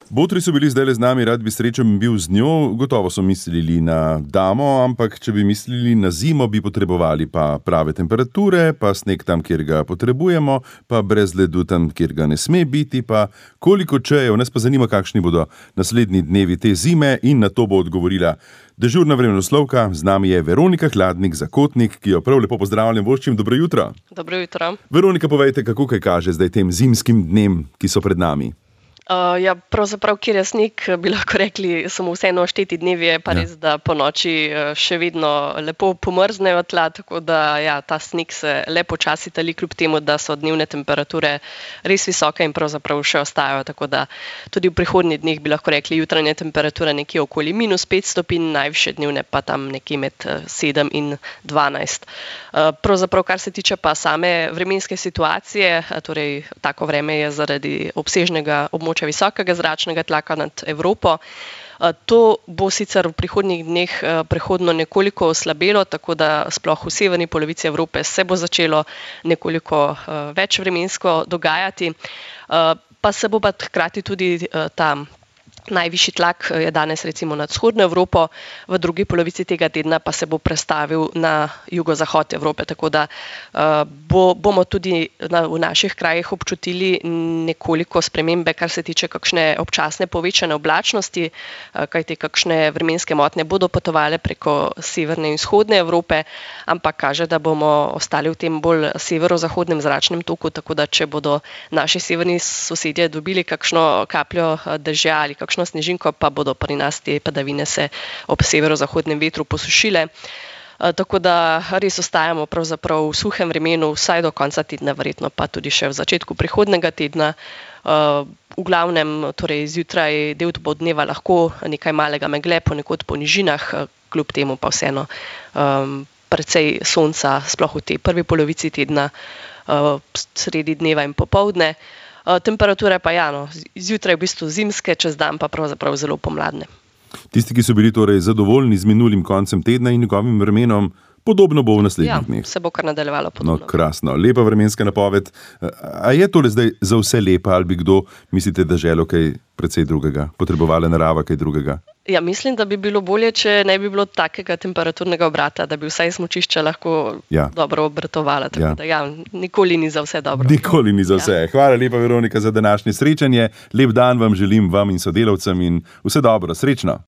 Botri so bili zdaj z nami, rad bi srečen bil z njo, gotovo so mislili na damo, ampak če bi mislili na zimo, bi potrebovali pa prave temperature, pa sneg tam, kjer ga potrebujemo, pa brez ledu tam, kjer ga ne sme biti, pa koliko čejev. Nas pa zanima, kakšni bodo naslednji dnevi te zime, in na to bo odgovorila dežurna vremenoslovka. Z nami je Veronika Hladnik-Zakotnik, ki jo prav lepo pozdravljam, voščim dobro jutro. Dobro jutro. Veronika, povejte, kako kaj kaže zdaj tem zimskim dnem, ki so pred nami? Pravzaprav, kjer je sneg, bi lahko rekli, samo vseeno šteti dnevi, je pa res, da po noči še vedno lepo pomrznejo tla, tako da ta sneg se le počasi tali, kljub temu, da so dnevne temperature res visoke in pravzaprav še ostajajo, tako da tudi v prihodnjih dneh bi lahko rekli jutranje temperature nekje okoli -5 stopinj, najvišje dnevne pa tam nekje med 7 in 12. Pravzaprav, kar se tiče pa same vremenske situacije, torej tako vreme je zaradi obsežnega območja visokega zračnega tlaka nad Evropo. To bo sicer v prihodnjih dneh prehodno nekoliko oslabelo, tako da sploh v severni polovici Evrope se bo začelo nekoliko več vremensko dogajati. Pa se bo pa hkrati tudi ta najvišji tlak je danes recimo nad vzhodno Evropo, v drugi polovici tega tedna pa se bo prestavil na jugozahod Evrope, tako da bomo tudi v naših krajih občutili nekoliko spremembe, kar se tiče kakšne občasne povečane oblačnosti, kajti kakšne vremenske motnje bodo potovale preko severne in vzhodne Evrope, ampak kaže, da bomo ostali v tem bolj severozahodnem zračnem toku, tako da če bodo naši severni sosedje dobili kakšno kapljo dežja ali kakšno snežinko, pa bodo pri nas te padavine se ob severozahodnem vetru posušile. Tako da res ostajamo pravzaprav v suhem vremenu, vsaj do konca tedna, verjetno pa tudi še v začetku prihodnjega tedna. V glavnem, torej zjutraj del dneva lahko nekaj malega megle, ponekod po nižinah, kljub temu pa vseeno precej sonca, sploh v tej prvi polovici tedna, sredi dneva in popoldne. Temperature pa zjutraj v bistvu zimske, čez dan pa pravzaprav zelo pomladne. Tisti, ki so bili torej zadovoljni z minulim koncem tedna in njegovim vremenom, podobno bo v naslednjih dneh. Se bo kar nadaljevalo podobno. No, krasno. Lepa vremenska napoved. A je tole zdaj za vse lepa, ali bi kdo, mislite, da želel kaj precej drugega? Potrebovala narava kaj drugega? Mislim, da bi bilo bolje, če ne bi bilo takega temperaturnega obrata, da bi vsaj smučišča lahko dobro obratovala. Tako da nikoli ni za vse dobro. Nikoli ni za vse. Hvala lepa, Veronika, za današnje srečanje. Lep dan vam želim, vam in sodelavcem, in vse dobro, srečno.